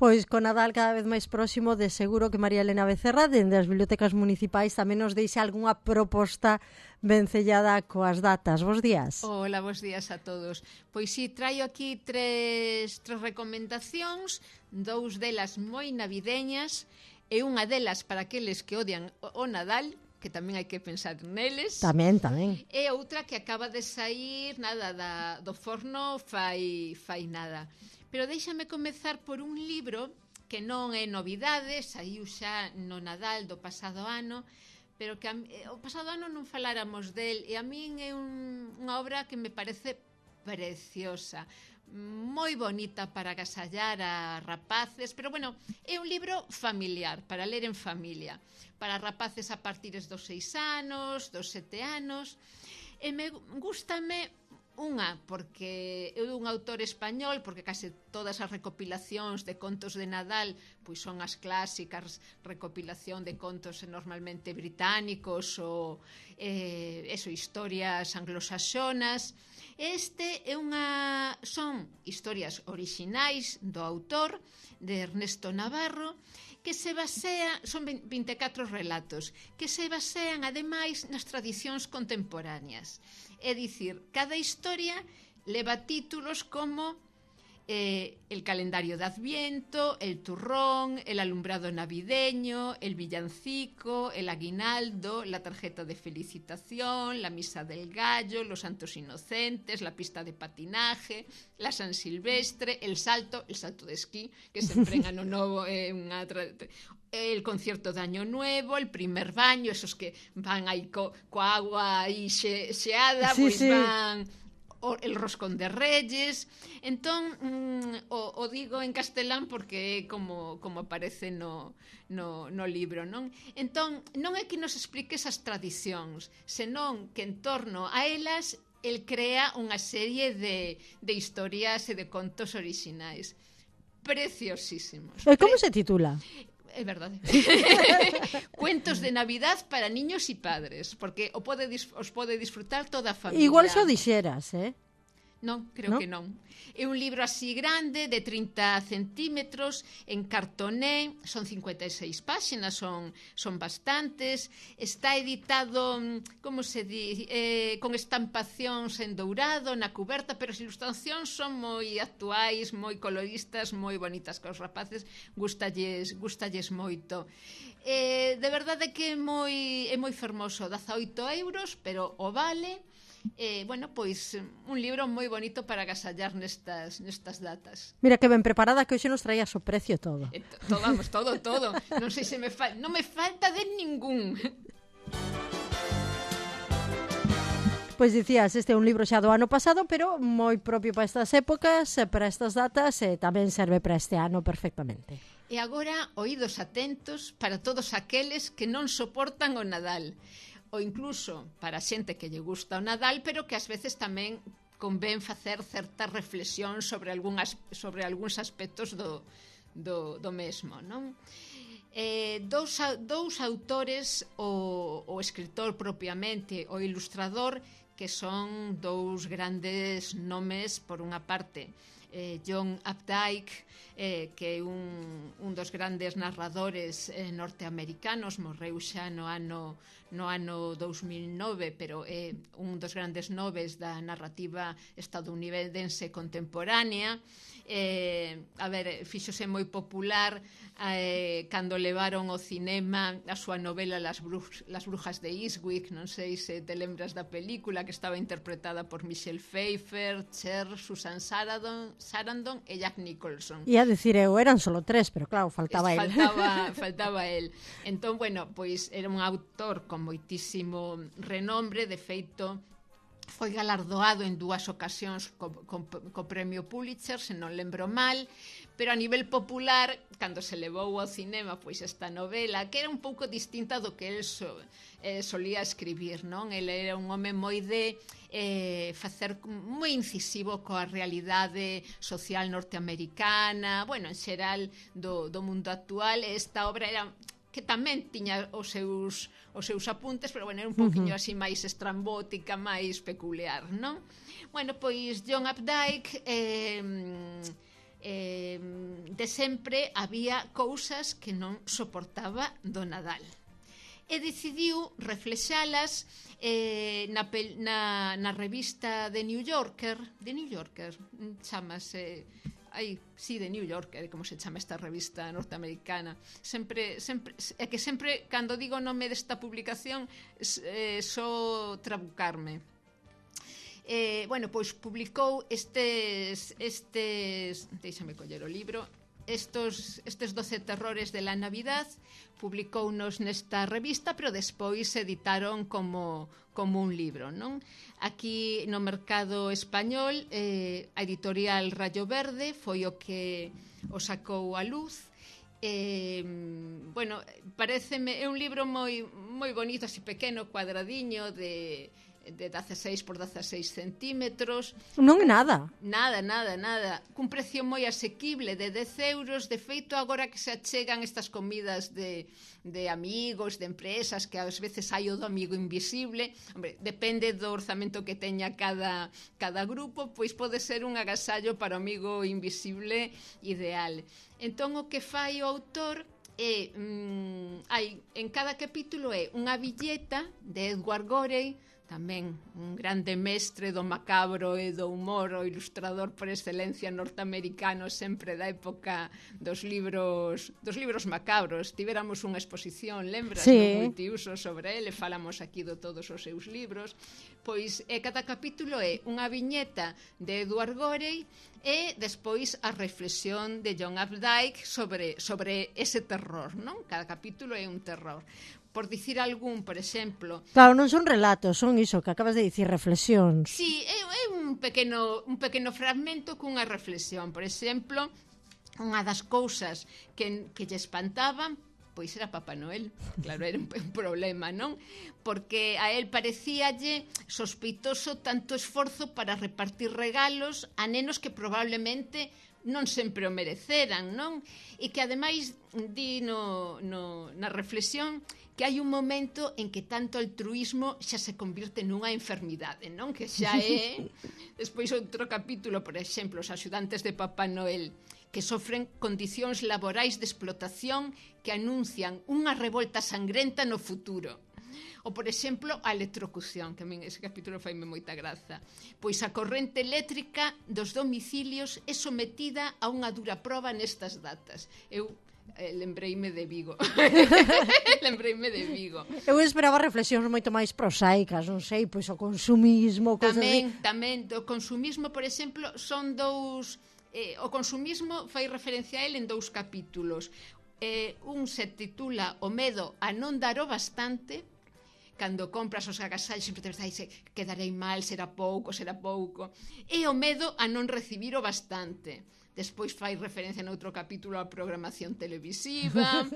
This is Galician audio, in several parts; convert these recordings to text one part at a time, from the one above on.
Pois con Nadal cada vez máis próximo, de seguro que María Elena Becerra dende as bibliotecas municipais tamén nos deixe algunha proposta vencellada coas datas. Bos días. Hola, bos días a todos. Pois si, traio aquí tres recomendacións, dous delas moi navideñas e unha delas para aqueles que odian o Nadal, que tamén hai que pensar neles. Tamén. E outra que acaba de sair do forno fai nada. Pero déixame comezar por un libro que non é novidade, saiu xa no Nadal do pasado ano, pero que o pasado ano non faláramos del, e a min é unha obra que me parece preciosa, moi bonita para agasallar a rapaces, pero bueno, é un libro familiar, para ler en familia, para rapaces a partir dos 6 anos, dos 7 anos, e gústame unha, porque é un autor español, porque case todas as recopilacións de contos de Nadal pois son as clásicas, recopilación de contos normalmente británicos ou historias anglosaxonas. Este é son historias orixinais do autor, de Ernesto Navarro, que se basea, son 24 relatos, que se basean ademais nas tradicións contemporáneas. É dicir, cada historia leva títulos como el calendario de Adviento, el turrón, el alumbrado navideño, el villancico, el aguinaldo, la tarjeta de felicitación, la misa del gallo, los santos inocentes, la pista de patinaje, la San Silvestre, el salto de esquí, que sempre en ano novo é el concierto de Año Nuevo, el primer baño, esos que van aí coa agua aí xeada, pois van el roscón de Reyes. Entón, o digo en castelán porque é como aparece no libro, non? Entón, non é que nos explique esas tradicións, senón que en torno a elas el crea unha serie de historias e de contos orixinais preciosísimos. E como se titula? É verdade. Cuentos de Navidad para niños e padres, porque os pode disfrutar toda a familia. Igual xo dixeras, Non, creo que non. É un libro así grande, de 30 centímetros, en cartoné, son 56 páxinas, son bastantes. Está editado, como se di, con estampacións en dourado na cuberta, pero as ilustracións son moi actuais, moi coloristas, moi bonitas, que os rapaces gustalles moito. De verdade que é moi fermoso, 18 €, pero o vale. Pois un libro moi bonito para agasallar nestas datas. Mira que ben preparada, que hoxe nos traías o precio todo. Todo. Non sei se non me falta de ningún. Pois dicías, este é un libro xa do ano pasado, pero moi propio para estas épocas, para estas datas, e tamén serve para este ano perfectamente. E agora, oídos atentos para todos aqueles que non soportan o Nadal, ou incluso para a xente que lle gusta o Nadal, pero que ás veces tamén convén facer certa reflexión sobre algúns aspectos do mesmo, non? Dous autores, o escritor propiamente, o ilustrador, que son dous grandes nomes, por unha parte, John Updike, que é un dos grandes narradores norteamericanos, morreu xa no ano 2009, pero é un dos grandes noves da narrativa estadounidense contemporánea. Fíxose moi popular cando levaron ao cinema a súa novela Las brujas de Eastwick, non sei se te lembras da película, que estaba interpretada por Michelle Pfeiffer, Cher, Susan Sarandon e Jack Nicholson. Ia dicir eu, eran solo 3, pero claro, faltaba el. Faltaba el. Entón, pois era un autor con moitísimo renombre, de feito foi galardoado en 2 ocasións co premio Pulitzer, se non lembro mal, pero a nivel popular, cando se levou ao cinema pois esta novela, que era un pouco distinta do que el solía escribir, non? El era un home moi de facer moi incisivo coa realidade social norteamericana, en xeral do mundo actual. Esta obra era que tamén tiña os seus apuntes, pero era un pouquiño así máis estrambótica, máis peculiar, non? Pois John Updike De sempre había cousas que non soportaba do Nadal. E decidiu reflexalas na revista The New Yorker, chamase... The New Yorker, como se chama esta revista norteamericana. É que sempre, cando digo o nome desta publicación, só trabucarme. Pois publicou estes deixame coller o libro, estes 12 terrores de la Navidad, publicounos nesta revista, pero despois se editaron como un libro, non? Aquí no mercado español, a editorial Rayo Verde foi o que o sacou a luz. Pareceme, é un libro moi bonito, así pequeno, cuadradiño, de 16 por 16 centímetros. Non é nada. Nada. Cun precio moi asequible de 10 euros. De feito, agora que se achegan estas comidas de amigos, de empresas, que ás veces hai o do amigo invisible, hombre, depende do orzamento que teña cada grupo, pois pode ser un agasallo para o amigo invisible ideal. Entón, o que fai o autor é, en cada capítulo é unha villeta de Edward Gorey, tamén un grande mestre do macabro e do humor, o ilustrador por excelencia norteamericano, sempre da época dos libros macabros. Tivéramos unha exposición, lembras, no multiuso sobre ele, falamos aquí de todos os seus libros. Pois cada capítulo é unha viñeta de Edward Gorey e despois a reflexión de John Updike sobre ese terror, non? Cada capítulo é un terror. Por dicir algún, por exemplo... Claro, non son relatos, son iso que acabas de dicir, reflexións. Sí, é un pequeno fragmento cunha reflexión. Por exemplo, unha das cousas que lle espantaban, pois era Papá Noel. Claro, era un problema, non? Porque a él parecíalle sospeitoso tanto esforzo para repartir regalos a nenos que probablemente non sempre o mereceran, non? E que ademais di na reflexión que hai un momento en que tanto altruismo xa se convirte nunha enfermidade, non? Que xa é... Despois outro capítulo, por exemplo, os axudantes de Papá Noel, que sofren condicións laborais de explotación que anuncian unha revolta sangrenta no futuro. Ou, por exemplo, a electrocución, que a min ese capítulo faime moita graza. Pois a corrente eléctrica dos domicilios é sometida a unha dura proba nestas datas. Eu lembreime de Vigo. Eu esperaba reflexións moito máis prosaicas, non sei, pois o consumismo, Tamén, do consumismo, por exemplo, son dous... o consumismo fai referencia a ele en dous capítulos. Un se titula O medo a non dar o bastante. Cando compras os agasallos sempre te dice quedarei mal, será pouco. E o medo a non recibir o bastante. Despois fai referencia noutro capítulo á programación televisiva,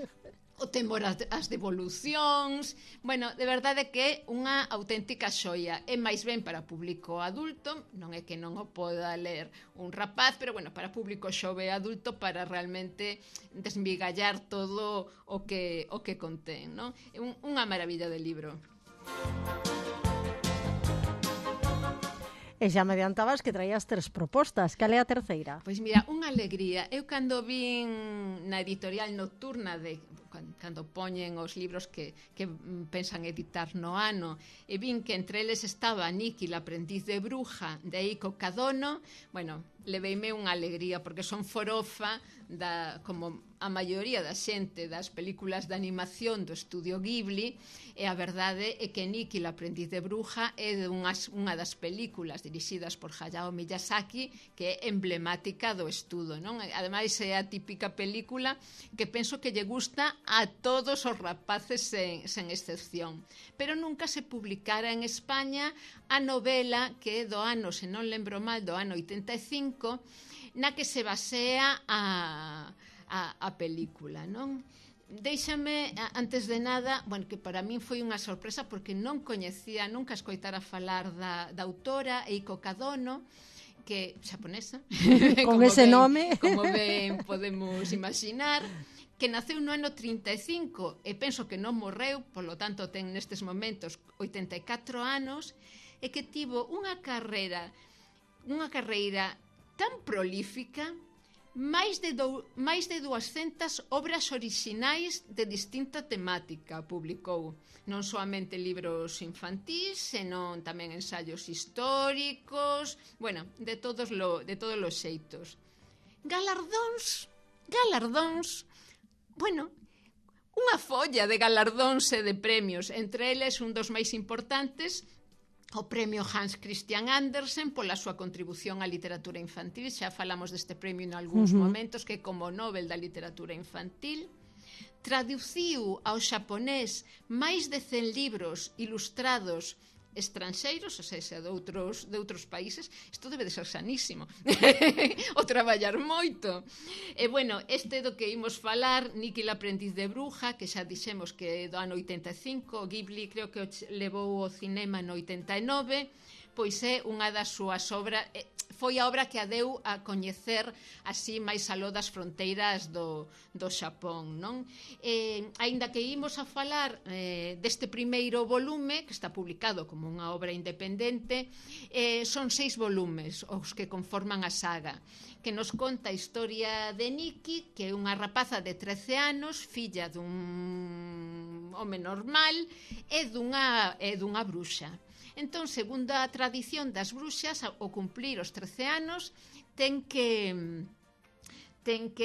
o temor ás devolucións. Bueno, de verdade que é unha auténtica xoia. É máis ben para público adulto, non é que non o poda ler un rapaz, pero bueno, para público xove adulto, para realmente desmigallar todo o que contén, non? É unha maravilla de libro. E xa me adiantabas que traías 3 propostas. Cal é a terceira? Pois mira, unha alegría. Eu cando vin na editorial nocturna cando poñen os libros que pensan editar no ano, e vin que entre eles estaba Nikki, la aprendiz de bruja, de Eiko Kadono, bueno, leveime unha alegría, porque son forofa como a maioría da xente das películas de animación do estudio Ghibli, e a verdade é que Nikki, la aprendiz de bruja, é unha das películas dirixidas por Hayao Miyazaki que é emblemática do estudo, non? Ademais é a típica película que penso que lle gusta a todos os rapaces sen excepción. Pero nunca se publicara en España a novela que é do ano, se non lembro mal, do ano 85, na que se basea a película, non? Déixame, antes de nada, bueno, que para min foi unha sorpresa porque non coñecía, nunca escoitara falar da autora Eiko Kadono, que xaponesa, con ese nome, como ben podemos imaginar, que naceu no ano 35 e penso que non morreu, polo tanto ten nestes momentos 84 anos, e que tivo unha carreira tan prolífica máis de 200 obras orixinais de distinta temática publicou, non soamente libros infantís, senón tamén ensaios históricos, bueno, de todos os xeitos. Galardóns, bueno, unha folla de galardóns e de premios, entre eles un dos máis importantes, o premio Hans Christian Andersen pola súa contribución á literatura infantil. Xa falamos deste premio en algúns momentos, que como Nobel da literatura infantil. Traduciu ao xaponés máis de 100 libros ilustrados estranxeiros, ou seja, de outros países. Isto debe de ser sanísimo o traballar moito. E bueno, este do que imos falar, Nikki la aprendiz de bruja, que xa dixemos que do ano 85, Ghibli creo que levou ao cinema no 89, pois é unha das súas obras, foi a obra que a deu a coñecer así máis aló das fronteiras do Xapón, non? Aínda que imos a falar deste primeiro volume, que está publicado como unha obra independente, son 6 volumes os que conforman a saga, que nos conta a historia de Nikki, que é unha rapaza de 13 anos, filla dun home normal e dunha bruxa. Entón, segundo a tradición das bruxas, ao cumplir os 13 anos, ten que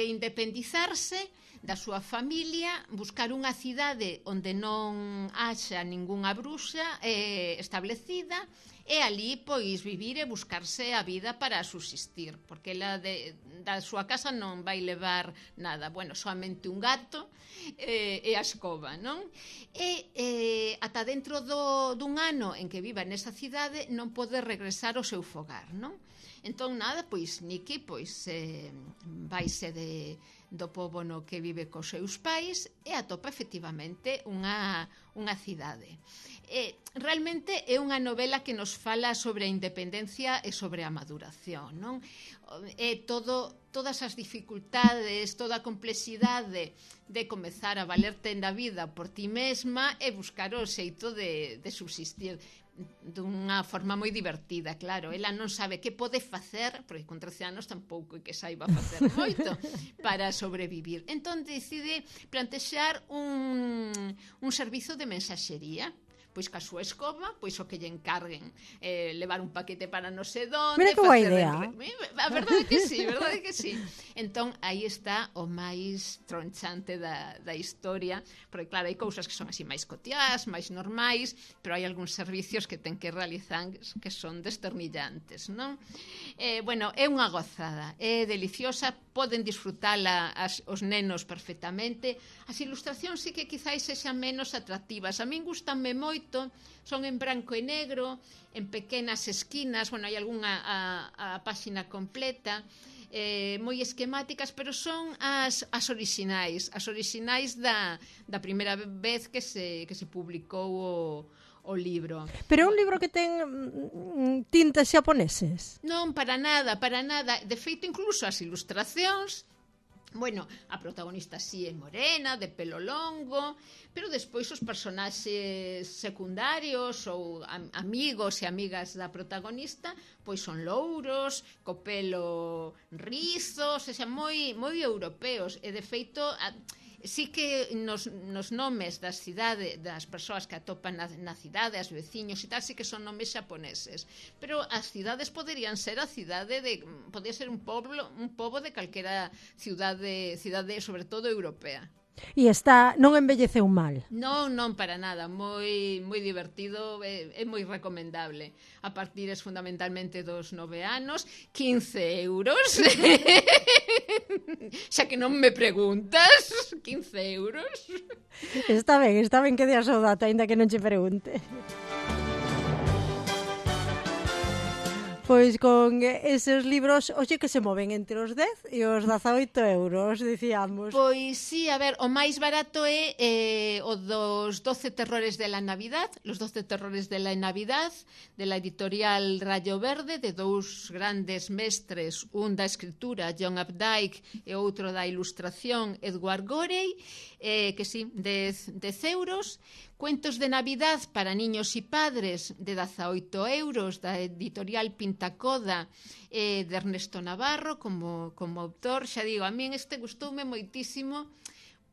independizarse da súa familia, buscar unha cidade onde non haxa ningunha bruxa establecida, e ali, pois, vivir e buscarse a vida para subsistir, porque ela da súa casa non vai levar nada, bueno, soamente un gato e a escoba, non? E ata dentro dun ano en que viva nesa cidade non pode regresar ao seu fogar, non? Entón, nada, pois, Nikki, pois, vaise do pobo no que vive cos seus pais e atopa efectivamente unha cidade. Realmente é unha novela que nos fala sobre a independencia e sobre a maduración, non? Todas as dificultades, toda a complexidade de comezar a valerte na vida por ti mesma e buscar o xeito de subsistir dunha forma moi divertida, claro. Ela non sabe que pode facer, porque con 13 anos tampouco é que saiba facer moito para sobrevivir. Entón decide plantexar un servizo de mensaxería, pois ca súa escoba, pois o que lle encarguen levar un paquete para non sei donde. Mira que boa idea. A verdade que sí. Entón, aí está o máis tronchante da historia, porque claro, hai cousas que son así máis cotiás, máis normais, pero hai algúns servicios que ten que realizar que son desternillantes, non? Bueno, é unha gozada, é deliciosa, poden disfrutala os nenos perfectamente. As ilustracións sí que quizáis sexan menos atractivas. A min gustanme moito, son en branco e negro, en pequenas esquinas, bueno, hai algunha a páxina completa, moi esquemáticas, pero son as orixinais da primeira vez que se publicou o libro. Pero é un libro que ten tintas xaponeses? Non, para nada. De feito, incluso as ilustracións, bueno, a protagonista sí é morena, de pelo longo, pero despois os personaxes secundarios ou amigos e amigas da protagonista pois son louros, co pelo rizo, sexa, moi europeos, e de feito sí que nos nomes das cidades, das persoas que atopan na cidade, as veciños e tal, sí que son nomes xaponeses, pero as cidades poderían ser podría ser un pobo de calquera cidade, sobre todo europea. E non envelleceu mal? Non, para nada, moi divertido, é moi recomendable. A partir fundamentalmente dos 9 anos, 15 euros. Xa que non me preguntas, 15 euros. Está ben que deas o dato, aínda que non che pregunte. Pois con eses libros, oxe, que se moven entre os 10 e os 18 euros, dicíamos. Pois sí, a ver, o máis barato é o dos 12 terrores de la Navidad, los 12 terrores de la Navidad, de la editorial Rayo Verde, de dous grandes mestres, un da escritura, John Updike, e outro da ilustración, Edward Gorey, que sí, 10 euros. Cuentos de Navidad para niños y padres, de 18 euros, da editorial Pintor Contacoda de Ernesto Navarro como autor. Xa digo, a min este gustoume moitísimo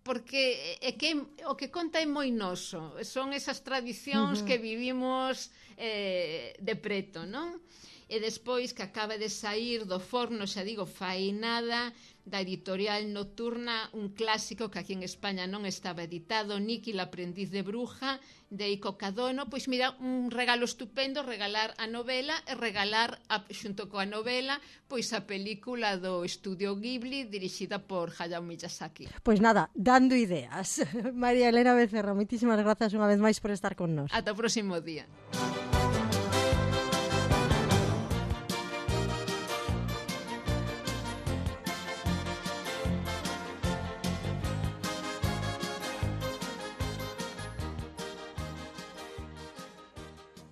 porque é que o que conta é moi noso, son esas tradicións que vivimos de preto, non? E despois que acaba de sair do forno, xa digo, fai nada, da editorial Nocturna, un clásico que aquí en España non estaba editado, Niki, la aprendiz de bruja, de Iko Kadono. Pois mira, un regalo estupendo, regalar a novela e regalar, xunto coa novela, pois a película do Estudio Ghibli dirixida por Hayao Miyazaki. Pois nada, dando ideas. María Elena Becerra, moitísimas grazas unha vez máis por estar con nós. Ata o próximo día.